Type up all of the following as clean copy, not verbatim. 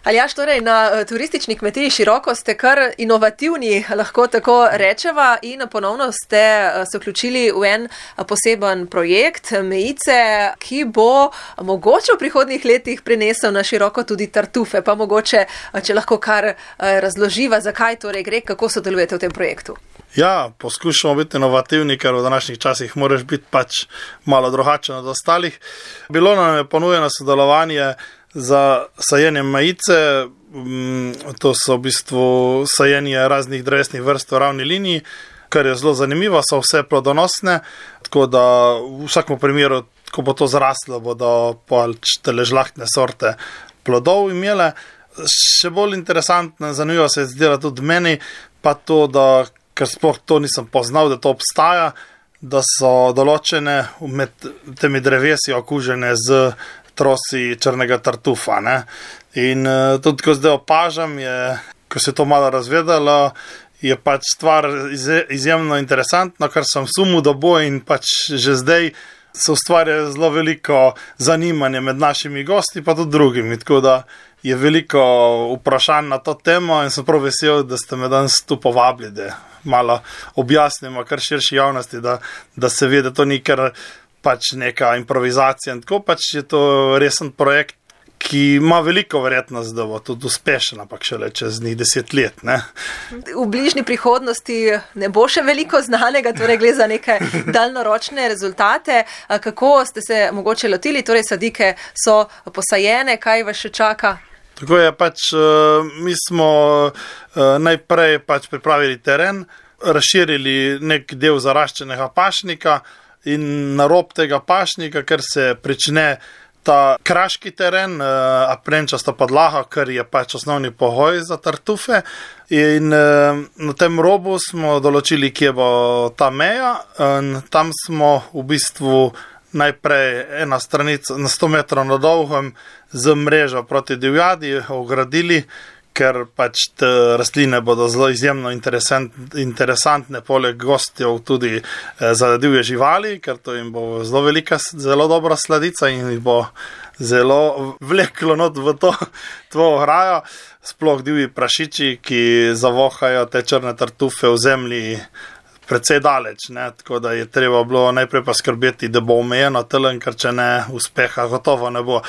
Aljaž, torej na turistični kmetiji Široko ste kar inovativni, lahko tako rečeva, in ponovno ste se vključili v en poseben projekt Mejice, ki bo mogoče v prihodnjih letih prinesel na Široko tudi tartufe. Pa mogoče, če lahko kar razloživa, zakaj torej gre, kako sodelujete v tem projektu. Ja, poskušamo biti inovativni, ker v današnjih časih moraš biti pač malo drugačen od ostalih. Bilo nam je ponujeno sodelovanje za sajenje mejice, to so v bistvu sajenje raznih drevesnih vrst v ravni liniji, kar je zelo zanimivo, so vse plodonosne, tako da v vsakem primeru, ko bo to zraslo, bodo pač tele žlahtne sorte plodov imele. Še bolj interesantno in zanimivo se je zdelo tudi meni, pa to, da, ker sploh to nisem poznal, da to obstaja, da so določene med temi drevesi okužene z trosi črnega tartufa. Ne? In tudi, ko zdaj opažam, ko se to malo razvedalo, je pač stvar izjemno interesantna, kar sem sumil, da bo, in pač že zdaj se ustvarja zelo veliko zanimanje med našimi gosti, pa tudi drugimi, tako da je veliko vprašanj na to temo in sem prav vesel, da ste me danes tu povabili, da malo objasnimo kar širši javnosti, da se ve, da to ni kar pač neka improvizacija in tako, pač je to resen projekt, ki ima veliko verjetnost, da bo tudi uspešen, ampak šele čez njih 10 let. Ne? V bližnji prihodnosti ne bo še veliko znanega, torej gre za neke daljnoročne rezultate. Kako ste se mogoče lotili, torej sadike so posajene, kaj vas še čaka? Tako je, pač mi smo najprej pač pripravili teren, razširili nek del zaraščenega pašnika in na rob tega pašnika, ker se prične ta kraški teren, aprenčasta podlaga, kar je pač osnovni pogoj za tartufe. In na tem robu smo določili, kje bo ta meja. In tam smo v bistvu najprej ena stranica na 100 metrov na dolgem z mrežo proti divjadi ogradili, ker pač te rastline bodo zelo izjemno interesantne, poleg gostjev tudi za divje živali, ker to jim bo zelo velika, zelo dobra sladica in jih bo zelo vleklo not v to ograjo. Sploh divji prašiči, ki zavohajo te črne tartufe v zemlji precej daleč, ne? Tako da je treba bilo najprej pa skrbeti, da bo omejeno telen, ker če ne, uspeha gotovo ne bo.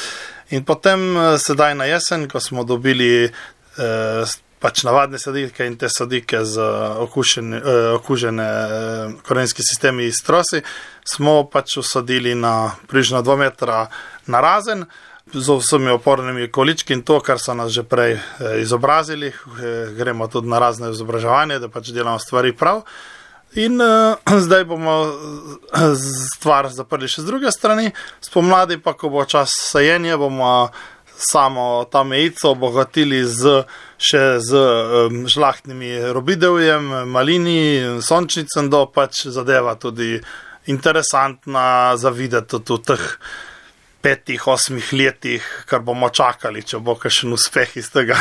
In potem sedaj na jesen, ko smo dobili pač navadne sadike in te sadike z okužene korenski sistemi iz trosi, smo pač usadili na približno 2 metra narazen, z vsemi opornimi količki in to, kar so nas že prej izobrazili. Gremo tudi na razne izobraževanje, da pač delamo stvari prav. In zdaj bomo stvar zaprli še z druge strani. Spomladi pa, ko bo čas sajenja, bomo samo ta mejico obogatili še z žlahtnimi robidevjem, malini, sončnicem, da pač zadeva tudi interesantna za videti v teh 5-8 letih, kar bomo čakali, če bo kakšen uspeh iz tega.